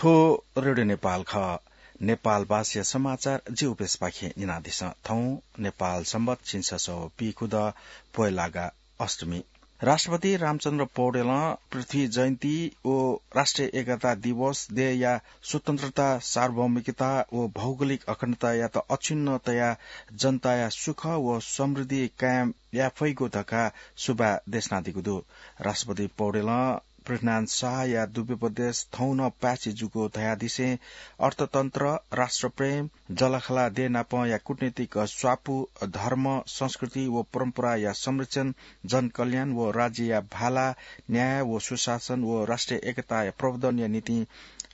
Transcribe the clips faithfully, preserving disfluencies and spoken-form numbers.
थ्व रेडियो नेपाल खः। नेपाल भाषाया समाचार जि उपेशपाखें न्यनादिसँ। थौं नेपाल संवत् झिंछसः व पीखुदँ पोहेलागा अष्टमी। राष्ट्रपति रामचन्द्र पौडेलं पृथ्वी जयन्ती व राष्ट्रिय एकता दिवस देय्‌या स्वतन्त्रता, सार्वभौमिकता व भौगोलिक अखण्डतायात अक्षुण्ण तयाः जनताया सुख व समृद्धि कायम याये फइगु धकाः सुभाय् देछानादीगु दु। राष्ट्रपति पौडेलं पृथ्वीनारायण शाहया दुव्योपदेश थौं नं पाय्‌छि जूगु धयादिसें अर्थतन्त्र, राष्ट्रप्रेम, जःलाखःला देय् नापंया कूटनीतिक स्वापू, धर्म, संस्कृति व परम्पराया संरक्षण, जनकल्याण व राज्यया भाला, न्याय व सुशासन व राष्ट्रिय एकताया प्रवर्धनया निंतिं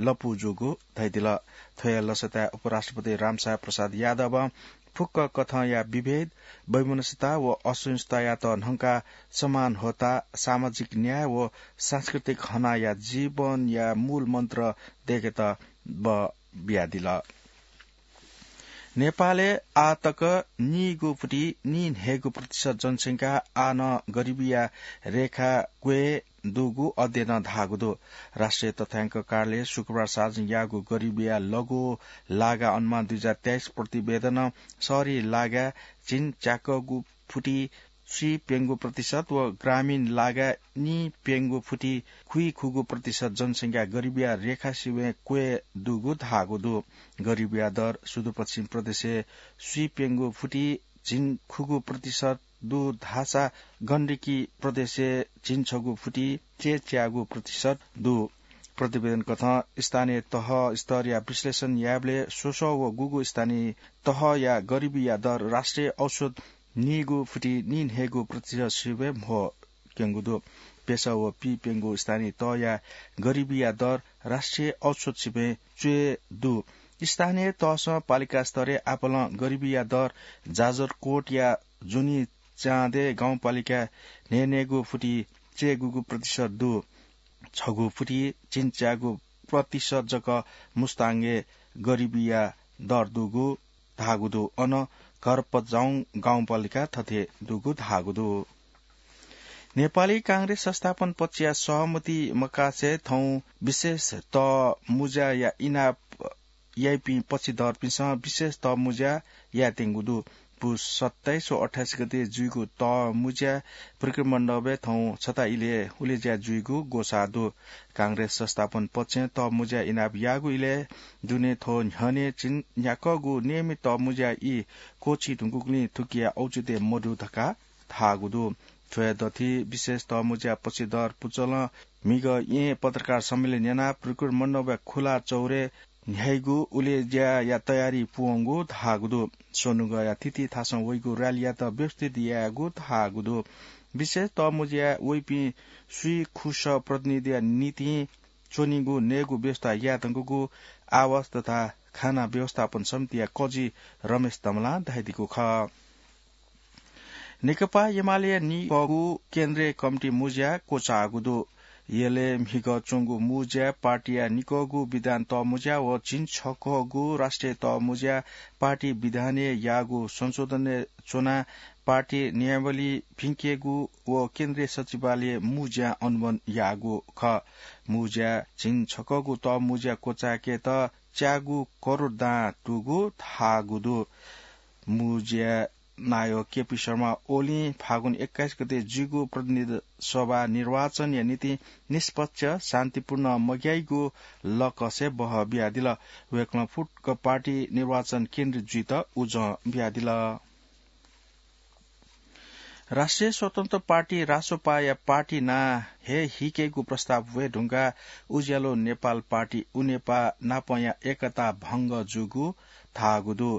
लँपु जूगु धयादिल। थ्वया लसताय् उपराष्ट्रपति रामशाह प्रसाद यादवं फुक्क कथंया विभेद, वैमनस्यता व असहिष्णुतायात न्हंकाः समान होता, सामाजिक न्याय व सांस्कृतिक हनाया जीवनया मूल मन्त्र दय्‌केत बः बियादिल। नेपालय् आः तक नीगू फुति नीन्हय्‌गू प्रतिशत जनसंख्या आः नं गरिबीया रेखा क्वय् दुगु अध्ययनं धाःगु दु। राष्ट्रिय तथ्याङ्क कार्यालयं शुक्रबार सार्वजनिक याःगु गरिबीया लघु लागा अनुमान दुई हजार तेइस प्रतिवेदनं शहरी लागा झिंच्याकःगु फुति स्वीप्यंगू प्रतिशत व ग्रामीण लागा नीप्यंगू फुति खुइखुगू प्रतिशत जनसंख्या गरिबीया रेखा सिबें क्वय् दुगु धाःगु दु। गरिबीया दर सुदूरपश्चिम प्रदेशय् स्वीप्यंगू फुति झिंखुगू प्रतिशत दु धाःसा गण्डकी प्रदेशय् झिंछगू फुति च्यय्‌च्यागू प्रतिशत दु। प्रतिवेदन कथं स्थानीय तह स्तरया विश्लेषण यायेबलय् स्वस्वः व गुगु स्थानीय तहया गरिबीया दर राष्ट्रिय औसत नीगू फुति नीन्हय्‌गू प्रतिशत सिबें म्हो क्यंगु दु। प्यसः व पीप्यंगू स्थानीय तहया गरिबीया दर राष्ट्रिय औसत सिबें च्वय् दु। स्थानीय तहसं पालिका स्तरय् आपालं गरिबीया दर जाजरकोटया जुनी चाँदे गाउँपालिका न्हय्‌न्हय्‌गू फुति च्यय्‌गूगू प्रतिशत दु। छगू फुति झिंच्यागू प्रतिशत जक मुस्ताङय् गरिबीया दर दुगु धाःगु दु। अन घरपजाउँ गाउँपालिका थथे दुगु धाःगु दु। नेपाली कांग्रेस संस्थापन पक्षया सहमति मकासे थौं विशेष तःमुँज्याया इनाप याइपिं पक्षधरपिन्सं विशेष तःमुँज्या यायेत्यंगु दु। पुस सत्ताइस व अट्ठाइस गते जुइगु तःमुँज्या प्रकृति मण्डपय् थौं छता इलय् उलेज्या जुइगु ग्वसाः दु। कांग्रेस संस्थापन पक्षं तःमुँज्या इनाप याःगु इलय् दुने थ्व न्ह्यःने झिंन्याक्वःगु नियमित तःमुँज्या ई क्वःछी धुंकूगुलिं थुकिया औचित्य मदु धकाः धाःगु दु। थ्वया दथुइ विशेष तःमुँज्या पक्षधर पुचलं म्हिगः येँय् पत्रकार सम्मेलन यानाः प्रकृति मण्डपया खुला चौरय् न्ह्याइगु उलेज्याया तयारी पूवंगु धाःगु दु। स्वनुगःया थीथी थासं वइगु र्‍यालीयात व्यवस्थित यायेगु धाःगु दु। विशेष तःमुँज्याय् वइपिं स्वीखुसः प्रतिनिधिया निंतिं च्वनीगु नयेगु व्यवस्था यायेधुंकूगु आवास तथा खाना व्यवस्थापन समितिया कजि रमेश तमलां धयादीगु खः। नेकपा एमालेया निकःगु केन्द्रीय कमिटी मुँज्या क्वचाःगु दु। यलय् म्हिगः च्वंगु मुँज्याय् पार्टीया निकःगु विधान तःमुँज्या व झिंछकःगु राष्ट्रिय तःमुँज्या पार्टी विधानय् याःगु संशोधनय् च्वनाः पार्टी नियमावली भिंकेगु व केन्द्रीय सचिवालयय् मुँज्यां अनुमोदन याःगु खः। मुँज्याय् झिंछकःगु तःमुँज्या क्वचाय्केत च्यागू करोड दां दुगु धाःगु दु। मुँज्या नायः केपी शर्मा ओलीं फागुन एक्काइस गते जुइगु प्रतिनिधि सभा निर्वाचनया निंतिं निष्पक्ष, शान्तिपूर्ण मग्याइगु लकसय् बहः बियादिल। वय्कलं फुक्क पार्टी निर्वाचन केन्द्रित जुइत उजं बियादिल। राष्ट्रिय स्वतन्त्र पार्टी रासोपाया पार्टी नां हे हिकेगु प्रस्ताव वये धुंकाः उज्यालो नेपाल पार्टी उनेपा नापंया एकता भंग जूगु धाःगु दु।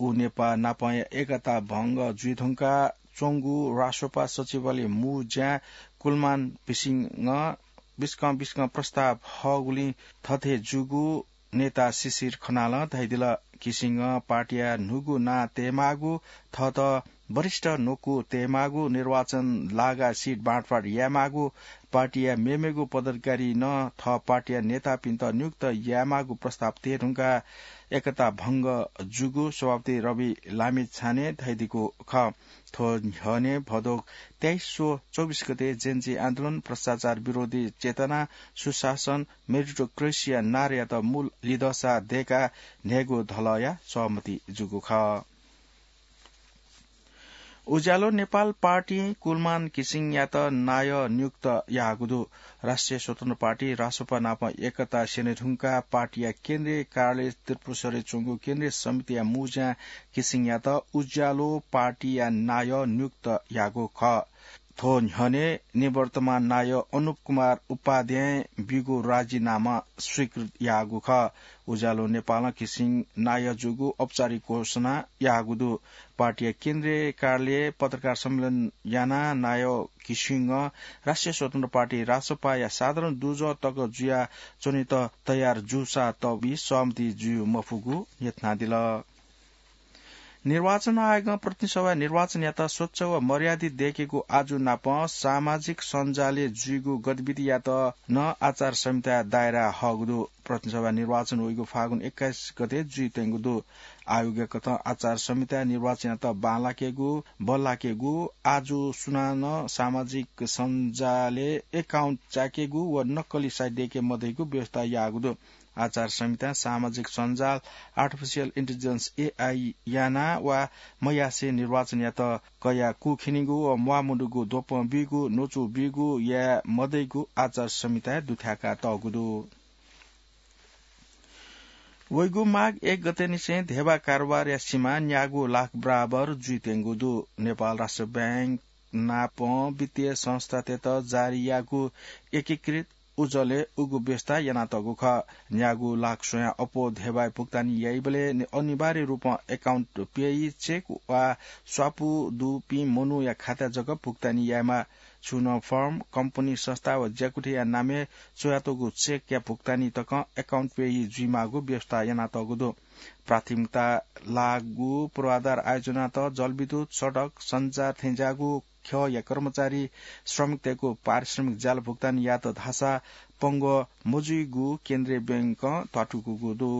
उनेपा नापंया एकता भंग जुइधुंकाः च्वंगु रासोपा सचिवालय मुँज्यां कुलमान बिसिंगं बिस्कं बिस्कं प्रस्ताव हःगुलिं थथे जूगु नेता शिशिर खनालं धयादिल। घिसिङं पार्टीया न्हूगु नां तयेमाःगु, थःत वरिष्ठ न्वकू तयेमाःगु, निर्वाचन लागा सिट बाँडफाँड यायेमाःगु, पार्टीया मेमेगु पदाधिकारी नं थः पार्टीया नेतापिन्त नियुक्त यायेमाःगु प्रस्ताव तये धुंकाः एकता भंग जूगु सभापति रवि लामिछानें धयादीगु खः। थ्व न्ह्यःने भदौ तेइस व चौबिस गते जेन्जी आन्दोलन, भ्रष्टाचार विरोधी चेतना, सुशासन, मेरिटोक्रेसीया नारायात मूल लिधंसा दय्काः न्हय्गू धलःया सहमति जूगु खः। उज्यालो नेपाल पार्टीं कुलमान घिसिङयात नायः नियुक्त याःगु दु। राष्ट्रिय स्वतन्त्र पार्टी, रासोपा नाप एकता स्यने धुंकाः पार्टीया केन्द्रीय कार्यालय त्रिपुरेश्वरय् च्वंगु केन्द्रीय समितिया मुंज्या घिसिङयात उज्यालो पार्टीया नायः नियुक्त याःगु खः। थ्व न्ह्यःने निवर्तमान नायः अनुप कुमार उपाध्यायं ब्यूगु राजीनामा स्वीकृत याःगु खः। उज्यालो नेपालं घिसिङ नायः जूगु औपचारिक घोषणा याःगु दु। पार्टीया केन्द्रीय कार्यालयय् पत्रकार सम्मेलन यानाः नायः घिसिङं राष्ट्रिय स्वतन्त्र पार्टी, रासोपाया साधारण दुजः तक जुया च्वनेत तयार जूसा तबी सहमति जुइ मफुगु न्ह्यथनादिल। निर्वाचन आयोगं प्रतिनिधि सभा निर्वाचनयात स्वच्छ व मर्यादित दय्केगु आजु नाप सामाजिक सञ्जालय् जुइगु गतिविधियात नं आचार संहिताया दायरा हःगु दु। प्रतिनिधि सभा निर्वाचन वइगु फागुन एक्काइस गते जुइत्यंगु दु। आयोगया कथं आचार संहिताय् निर्वाचनयात बांलाकेगु, बल्लाकेगु, आजु सुनानं सामाजिक सञ्जालय् account च्याकेगु व नक्कली site दय्के मदइगु व्यवस्था याःगु दु। आचार संहितां सामाजिक सञ्जाल artificial intelligence, एआई, याना वा मयासें निर्वाचनयात कयाः कुखिनिगु व म्वाःमदुगु द्वपं बीगु, न्वचु बीगु याये मदइगु आचार संहिताय् दुथ्याका तःगु दु। वइगु माघ एक गतेनिसें धेबा कारोबारया सीमा न्यागू लाख बराबर जुइत्यंगु दु। नेपाल राष्ट्र बैंक नापं वित्तीय संस्थातय्त जारी याःगु एकीकृत उजलय् उगु व्यवस्था यानातःगु खः। न्यागू लाख स्वयां अप्वः धेबाय् भुक्तानी याइबलय् नि-, अनिवार्य रूपं account payee cheque वा स्वापू दुपिं मनूया खाताय् जक भुक्तानी यायेमाः। छुं नं firm, कम्पनी, संस्था वा ज्याकुथिया नामय् च्वयातःगु cheque-या भुक्तानी तकं account payee जुइमाःगु व्यवस्था यानातःगु दु। प्राथमिकता लाःगु पूर्वाधार आयोजनात जलविद्युत, सडक, सञ्चार थेंज्याःगु ख्यःया कर्मचारी, श्रमिकतय्गु पारिश्रमिक ज्याला भुक्तानी यात धाःसा पंगः मजुइगु केन्द्रीय बैंकं ध्वाथुइकूगु दु।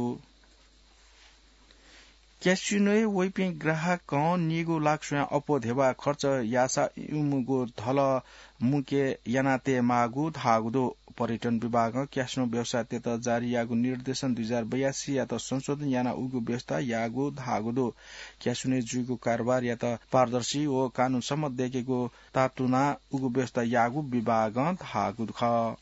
क्यासिनोय् वइपिं ग्राहकं नीगू लाख स्वयां अप्वः धेबा खर्च याःसा इमिगु धलः मुके याना तयेमाःगु धाःगु दु। पर्यटन विभागं क्यासिनो व्यवसायतय्त जारी याःगु निर्देशन दुई हजार बयासीयात संशोधन यानाः उगु व्यवस्था याःगु धाःगु दु। क्यासिनोय् जुइगु कारोबारयात पारदर्शी व कानून सम्मत दय्केगु तातुनाः उगु व्यवस्था याःगु विभागं धाःगु खः।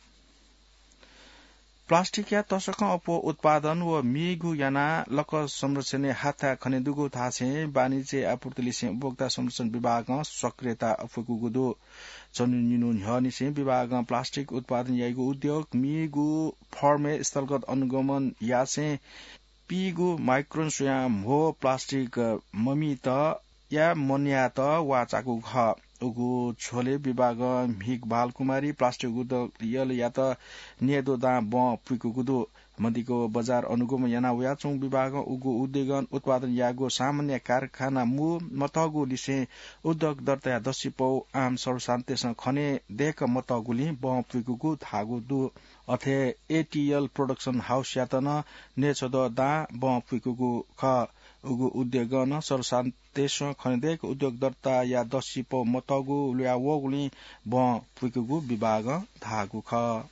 प्लास्टिकया तसकं अप्वः उत्पादन व मीगु यानाः लकः संरक्षणय् हाथाय् खनेदुगु धासें वाणिज्य आपूर्ति लिसें उपभोक्ता संरक्षण विभागं सक्रियता अप्वय्कूगु दु। झन्डै निन्हु न्ह्यःनिसें विभागं प्लास्टिक उत्पादन याइगु उद्योग, मीगु फर्मय् स्थलगत अनुगमन यासें पीगु माइक्रोन स्वयां म्हो प्लास्टिक ममित या मन्यायेत वाःचाकूगु खः। उगु झ्वलय् विभागं म्हिगः बालकुमारी प्लास्टिक उद्योगयात न्यय्दँ दां बँ पुइकूगु दु। मदिक्क बजार अनुगमन याना वयाच्वंगु विभागं उगु उद्योगं उत्पादन याःगु सामान्य कारखाना मू मतःगु लिसें उद्योग दर्ताया दसिपौ आम सर्वसाधारणतय्सं खने दय्क मतःगुलिं बँ पुइकूगु धाःगु दु। अथे एटीएल प्रोडक्सन हाउसयात नं न्यय्छद्म दां बँ पुइकूगु खः। उगु उद्योगं नं सर्वसाधारणतय्सं खने दय्क उद्योग दर्ताया दसिपौ मतःगु ल्हुया वःगुलिं बँ पुइकूगु विभागं धाःगु खः।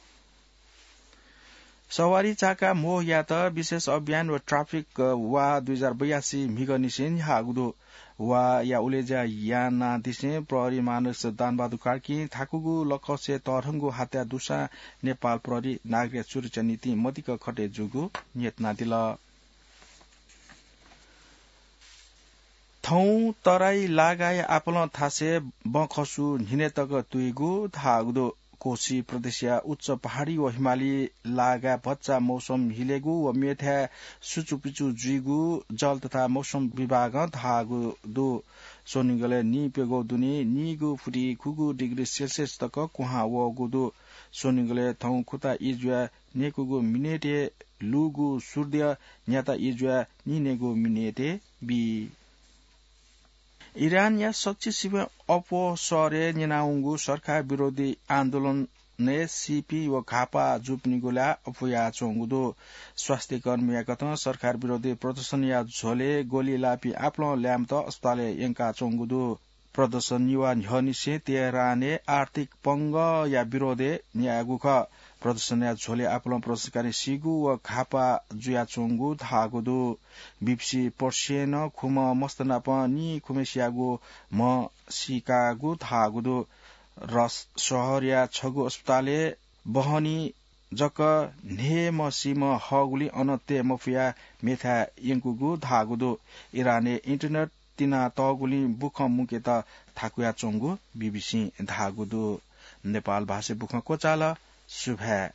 सवारी चाका म्हो यायेत विशेष अभियान व ट्राफिक वाः दुई हजार बयासी म्हिगःनिसें न्ह्याःगु दु। वाःया उलेज्या यानादिसें प्रहरी महानिरीक्षक दानबहादुर कार्कीं थाकुगु लकसे तःधंगु हत्या दुसां नेपाल प्रहरी नागरिकया सुरक्षा निंतिं मदिक्क खटे जूगु न्ह्यथनादिल। थौं तराई लागाया आपालं थासय् बँखसु न्हिनय् तक तुइगु धाःगु दु। कोशी प्रदेशया उच्च पहाडी व हिमाली लागाय् भचा मौसम हिलेगु व मेथाय् सुचुपिचु जुइगु जल तथा मौसम विभागं धाःगु दु। स्वनिगलय् नीप्यघौ दुने नीगु फुति खुगू डिग्री सेल्सियस तक क्वहां वःगु दु। स्वनिगलय् थौं खुता ई जुया नेकुगु मिनेटय् लूगु सूर्य न्याता ई जुया निनेगु मिनेटय् बी। इरानया सच्चिसिबें अप्वः शहरय् न्यनावंगु सरकार विरोधी आन्दोलनय् सीपिं व घाःपाः जूपिनिगु ला अप्वयाच्वंगु दु। स्वास्थ्य कर्मीया कथं सरकार विरोधी प्रदर्शनया झ्वलय् गोली लाःपिं आपालं ल्याय्म्हत अस्पतालय् यंकाच्वंगु दु। प्रदर्शन निभाः न्ह्यःनिसें तेहरानय् आर्थिक पंगःया विरोधय् न्यायेगु खः। प्रदर्शनया झ्वलय् आपालं प्रदर्शनकारी सीगु व घाःपाः जुयाच्वंगु धाःगु दु। बीबीसी पर्सियनं खुम्ह मस्त नाप निखुम्हेसिया म्ह सीकागु धाःगु दु। रस शहरया छगू अस्पतालय् बहनी जक न्हय्म्ह सीम्ह हःगुलिं अन तये मफयाः मेथाय् यंकूगु धाःगु दु। इरानय् इन्टरनेट तिनातःगुलिं बुखँ मुकेत थाकुयाच्वंगु बीबीसीं धाःगु दु। नेपाल भाषाय् बुखँ क्वचाल। सुभाय्।